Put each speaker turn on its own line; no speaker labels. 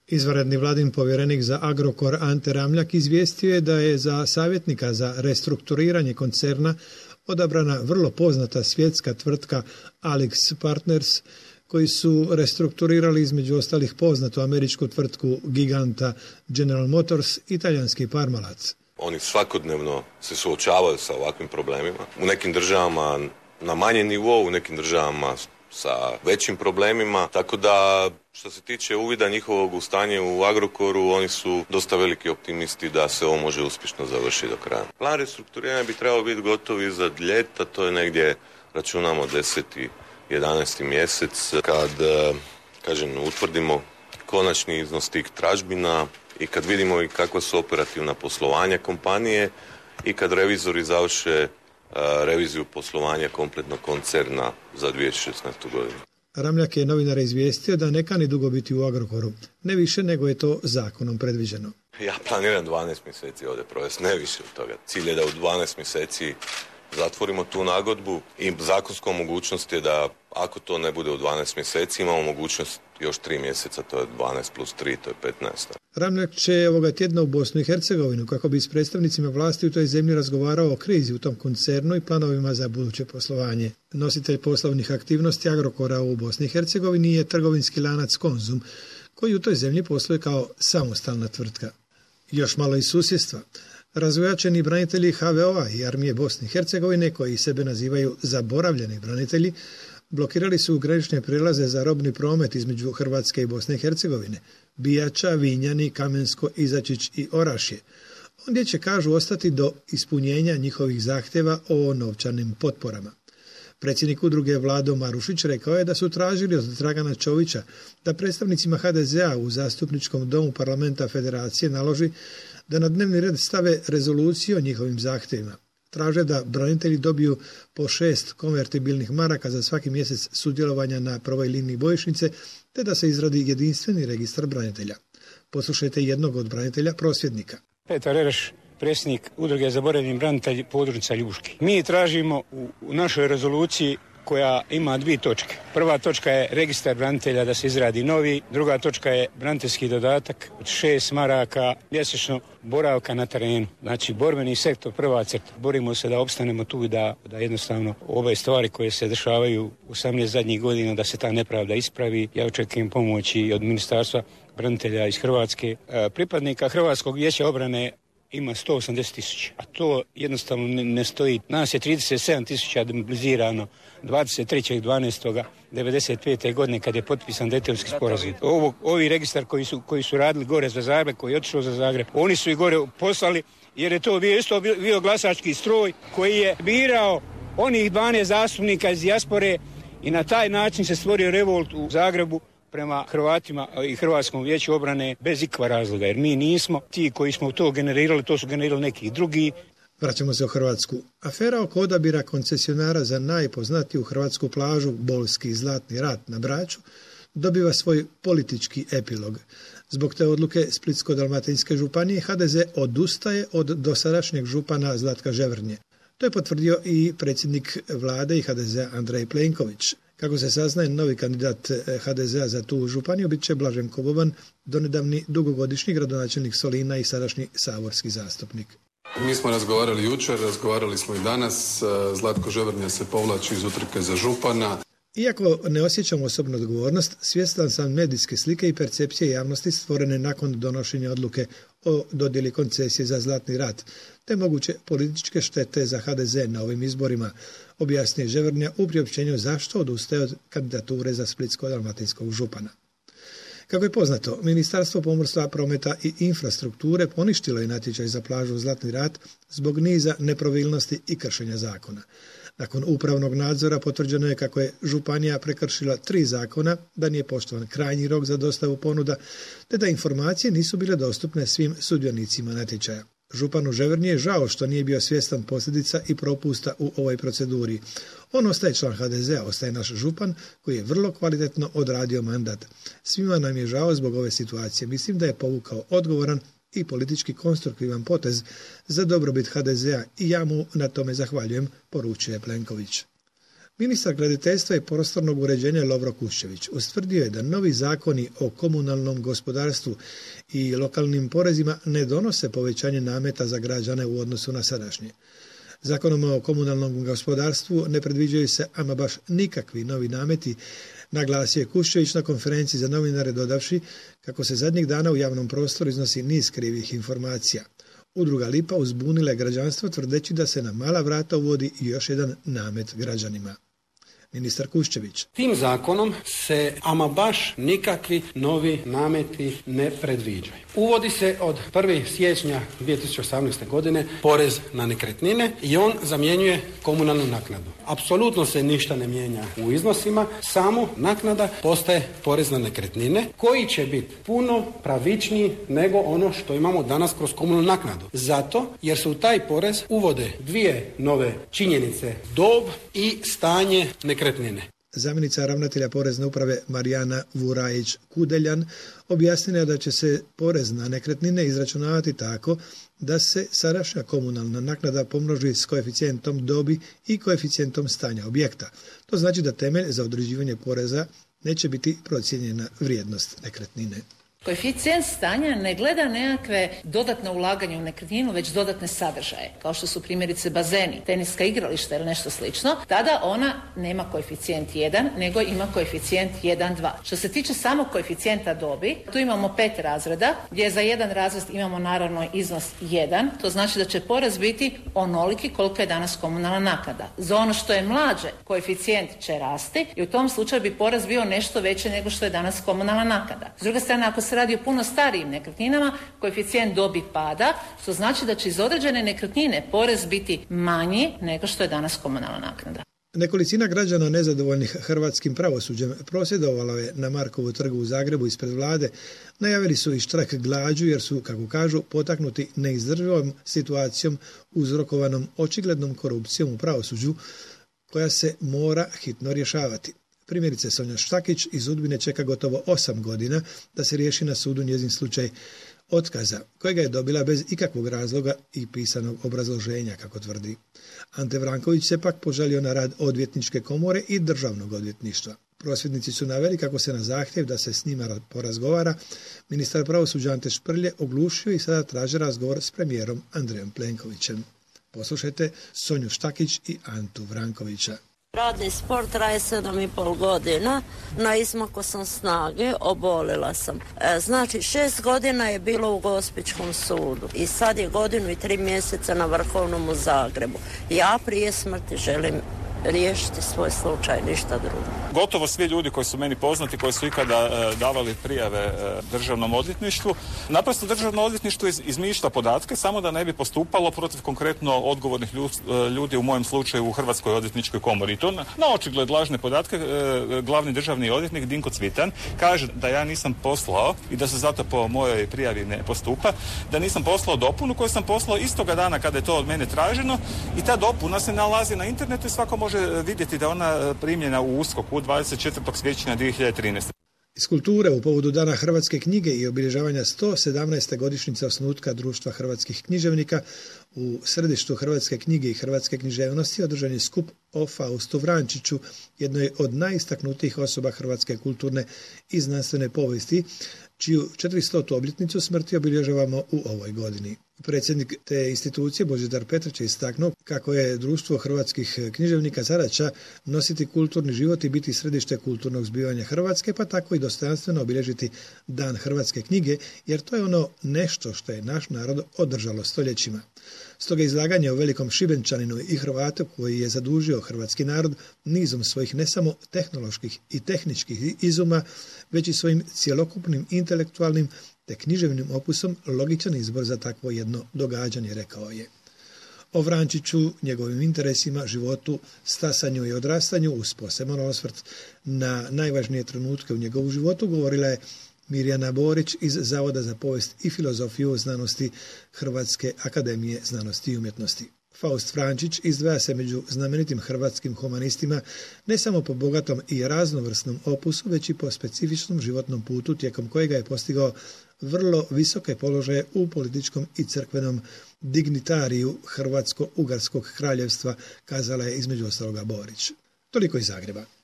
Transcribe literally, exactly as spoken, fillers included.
Izvanredni vladin povjerenik za Agrokor Ante Ramljak izvijestio je da je za savjetnika za restrukturiranje koncerna odabrana vrlo poznata svjetska tvrtka AlixPartners, koji su restrukturirali između ostalih poznatu američku tvrtku giganta General Motors i talijanski Parmalac.
Oni svakodnevno se suočavaju sa ovakvim problemima. U nekim državama na manjem nivou, u nekim državama sa većim problemima, tako da što se tiče uvida njihovog u stanje u Agrokoru, oni su dosta veliki optimisti da se ovo može uspješno završiti do kraja. Plan restrukturiranja bi trebao biti gotov iza ljeta, to je negdje, računamo, deseti jedanaesti mjesec, kad, kažem, utvrdimo konačni iznos tih tražbina i kad vidimo i kakva su operativna poslovanja kompanije i kad revizori završe reviziju poslovanja kompletnog koncerna za dvije tisuće šesnaestu. godinu.
Ramljak je novinare izvijestio da ne kani dugo biti u Agrokoru, ne više nego je to zakonom predviđeno.
Ja planiram dvanaest mjeseci ovdje provesti, ne više od toga. Cilj je da u dvanaest mjeseci zatvorimo tu nagodbu i zakonskom mogućnost je da ako to ne bude u dvanaest mjeseci, imamo mogućnost još tri mjeseca, to je dvanaest plus tri, to je petnaest.
Ramljak će ovoga tjedna u Bosnu i Hercegovinu kako bi s predstavnicima vlasti u toj zemlji razgovarao o krizi u tom koncernu i planovima za buduće poslovanje. Nositelj poslovnih aktivnosti Agrokora u Bosni i Hercegovini je trgovinski lanac Konzum, koji u toj zemlji posluje kao samostalna tvrtka. Još malo iz susjedstva. Razvojačeni branitelji ha ve o-a i armije Bosne i Hercegovine, koji sebe nazivaju zaboravljeni branitelji, blokirali su granične prijelaze za robni promet između Hrvatske i Bosne i Hercegovine, Bijača, Vinjani, Kamensko, Izačić i Orašje. Ondje će, kažu, ostati do ispunjenja njihovih zahtjeva o novčanim potporama. Predsjednik udruge Vlado Marušić rekao je da su tražili od Dragana Čovića da predstavnicima ha de ze-a u zastupničkom domu parlamenta Federacije naloži da na dnevni red stave rezoluciju o njihovim zahtjevima. Traže da branitelji dobiju po šest konvertibilnih maraka za svaki mjesec sudjelovanja na prvoj liniji bojišnice, te da se izradi jedinstveni registar branitelja. Poslušajte jednog od branitelja prosvjednika.
Petar Ereš, predsjednik udruge Zaboravljeni branitelji područja Ljuški. Mi tražimo u, u našoj rezoluciji koja ima dvije točke. Prva točka je registar branitelja da se izradi novi, druga točka je braniteljski dodatak od šest maraka mjesečno boravka na terenu. Znači borbeni sektor, prva crta. Borimo se da opstanemo tu i da, da jednostavno ove stvari koje se dešavaju u osamnaest zadnjih godina da se ta nepravda ispravi. Ja očekujem pomoći od Ministarstva branitelja iz Hrvatske. E, pripadnika Hrvatskog vijeća obrane ima sto osamdeset tisuća, a to jednostavno ne, ne stoji. Nas je trideset sedam tisuća demobilizirano dvadeset trećeg dvanaestog devedeset pete. godine kad je potpisan Dejtonski sporazum. Ovo, ovi registar koji su, koji su radili gore za Zagreb, koji je otišao za Zagreb, oni su i gore poslali jer je to bio isto bio glasački stroj koji je birao onih dvanaest zastupnika iz dijaspore i na taj način se stvorio revolt u Zagrebu prema Hrvatima i Hrvatskom vijeću obrane bez ikakva razloga, jer mi nismo ti koji smo to generirali, to su generirali neki drugi.
Vraćamo se u Hrvatsku. Afera oko odabira koncesionara za najpoznatiju hrvatsku plažu Bolski Zlatni rat na Braču dobiva svoj politički epilog. Zbog te odluke Splitsko-dalmatinske županije ha de ze odustaje od dosadašnjeg župana Zlatka Ževrnje. To je potvrdio i predsjednik vlade i ha de ze Andrej Plenković. Kako se saznaje, novi kandidat ha de ze-a za tu županiju bit će Blaženko Boban, donedavni dugogodišnji gradonačelnik Solina i sadašnji saborski zastupnik.
Mi smo razgovarali jučer, razgovarali smo i danas. Zlatko Ževrnja se povlači iz utrke za župana.
Iako ne osjećam osobnu odgovornost, svjestan sam medijske slike i percepcije javnosti stvorene nakon donošenja odluke o dodjeli koncesije za Zlatni rat, te moguće političke štete za ha de ze na ovim izborima, objasnije Ževrnja u priopćenju zašto odustaje od kandidature za Splitsko-dalmatinskog župana. Kako je poznato, Ministarstvo pomorstva, prometa i infrastrukture poništilo je natječaj za plažu Zlatni rat zbog niza nepravilnosti i kršenja zakona. Nakon upravnog nadzora potvrđeno je kako je županija prekršila tri zakona, da nije poštovan krajnji rok za dostavu ponuda, te da informacije nisu bile dostupne svim sudionicima natječaja. Županu Ževrnji je žao što nije bio svjestan posljedica i propusta u ovoj proceduri. On ostaje član ha de ze-a, ostaje naš župan koji je vrlo kvalitetno odradio mandat. Svima nam je žao zbog ove situacije. Mislim da je povukao odgovoran i politički konstruktivan potez za dobrobit ha de ze-a i ja mu na tome zahvaljujem, poručuje Plenković. Ministar graditeljstva i prostornog uređenja Lovro Kuščević ustvrdio je da novi zakoni o komunalnom gospodarstvu i lokalnim porezima ne donose povećanje nameta za građane u odnosu na sadašnje. Zakonom o komunalnom gospodarstvu ne predviđaju se ama baš nikakvi novi nameti, naglasio je Kuščević na konferenciji za novinare dodavši kako se zadnjih dana u javnom prostoru iznosi niz krivih informacija. Udruga Lipa uzbunila je građanstvo tvrdeći da se na mala vrata uvodi i još jedan namet građanima. Ministar Kuščević.
Tim zakonom se ama baš nikakvi novi nameti ne predviđaju. Uvodi se od prvog siječnja dvije tisuće osamnaeste. godine porez na nekretnine i on zamjenjuje komunalnu naknadu. Apsolutno se ništa ne mijenja u iznosima, samo naknada postaje porez na nekretnine koji će biti puno pravičniji nego ono što imamo danas kroz komunalnu naknadu. Zato jer se u taj porez uvode dvije nove činjenice, dob i stanje nekretnine.
Zamjenica ravnatelja Porezne uprave Marijana Vurajić-Kudeljan objasnila da će se porez na nekretnine izračunavati tako da se sadašnja komunalna naknada pomnoži s koeficijentom dobi i koeficijentom stanja objekta. To znači da temelj za određivanje poreza neće biti procijenjena vrijednost nekretnine.
Koeficijent stanja ne gleda nekakve dodatne ulaganje u nekretninu, već dodatne sadržaje, kao što su primjerice bazeni, teniska igrališta ili nešto slično. Tada ona nema koeficijent jedan, nego ima koeficijent jedan dva. Što se tiče samog koeficijenta dobi, tu imamo pet razreda, gdje za jedan razred imamo naravno iznos jedan, to znači da će porez biti onoliki koliko je danas komunalna naknada. Za ono što je mlađe, koeficijent će rasti i u tom slučaju bi porez bio nešto veći nego što je danas komunalna naknada. S druge strane, ako se radi o puno starijim nekretninama, koeficijent dobi pada, što znači da će iz određene nekretnine porez biti manji nego što je danas komunalna naknada.
Nekolicina građana nezadovoljnih hrvatskim pravosuđem prosvjedovalo je na Markovu trgu u Zagrebu ispred vlade. Najavili su i štrajk glađu jer su, kako kažu, potaknuti neizdrživom situacijom uzrokovanom očiglednom korupcijom u pravosuđu koja se mora hitno rješavati. Primjerice, Sonja Štakić iz Udbine čeka gotovo osam godina da se riješi na sudu njezin slučaj otkaza, kojega je dobila bez ikakvog razloga i pisanog obrazloženja, kako tvrdi. Ante Vranković se pak požalio na rad odvjetničke komore i državnog odvjetništva. Prosvjednici su naveli kako se na zahtjev da se s njima porazgovara ministar pravosuđa Ante Šprlje oglušio i sada traže razgovor s premijerom Andrejom Plenkovićem. Poslušajte Sonju Štakić i Antu Vrankovića.
Radni sport traje sedam i pol godina, na izmaku sam snage, obolila sam. E, znači šest godina je bilo u Gospićkom sudu i sad je godinu i tri mjeseca na Vrhovnom u Zagrebu. Ja prije smrti želim riješiti svoj slučaj, ništa drugo.
Gotovo svi ljudi koji su meni poznati, koji su ikada e, davali prijave e, državnom odvjetništvu, naprosto državno odvjetništvo iz, izmišlja podatke samo da ne bi postupalo protiv konkretno odgovornih ljud, ljudi, u mojem slučaju u Hrvatskoj odvjetničkoj komori. I to na, na očigled lažne podatke e, glavni državni odvjetnik Dinko Cvitan kaže da ja nisam poslao i da se zato po mojoj prijavi ne postupa, da nisam poslao dopunu koju sam poslao istoga dana kada je to od mene traženo i ta dopuna se nalazi na internetu i svako može vidjeti da ona primljena u USKOK-u dvadeset četvrtog siječnja dvije hiljade trinaeste.
Iz kulture u povodu Dana hrvatske knjige i obilježavanja sto sedamnaeste godišnjice osnutka Društva hrvatskih književnika u središtu hrvatske knjige i hrvatske književnosti održan je skup o Faustu Vrančiću, jednoj od najistaknutijih osoba hrvatske kulturne i znanstvene povijesti, čiju četiristotu obljetnicu smrti obilježavamo u ovoj godini. Predsjednik te institucije Božidar Petrić je istaknuo kako je Društvo hrvatskih književnika zadaća nositi kulturni život i biti središte kulturnog zbivanja Hrvatske, pa tako i dostojanstveno obilježiti Dan hrvatske knjige, jer to je ono nešto što je naš narod održalo stoljećima. Stoga izlaganje o velikom Šibenčaninu i Hrvatu koji je zadužio hrvatski narod nizom svojih ne samo tehnoloških i tehničkih izuma, već i svojim cjelokupnim intelektualnim te književnim opusom logičan izbor za takvo jedno događanje, rekao je. O Vrančiću, njegovim interesima, životu, stasanju i odrastanju uz poseban osvrt na najvažnije trenutke u njegovu životu govorila je Mirjana Borić iz Zavoda za povijest i filozofiju znanosti Hrvatske akademije znanosti i umjetnosti. Faust Vrančić izdvaja se među znamenitim hrvatskim humanistima ne samo po bogatom i raznovrsnom opusu, već i po specifičnom životnom putu tijekom kojega je postigao vrlo visoke položaje u političkom i crkvenom dignitariju Hrvatsko-Ugarskog kraljevstva, kazala je između ostaloga Borić. Toliko iz Zagreba.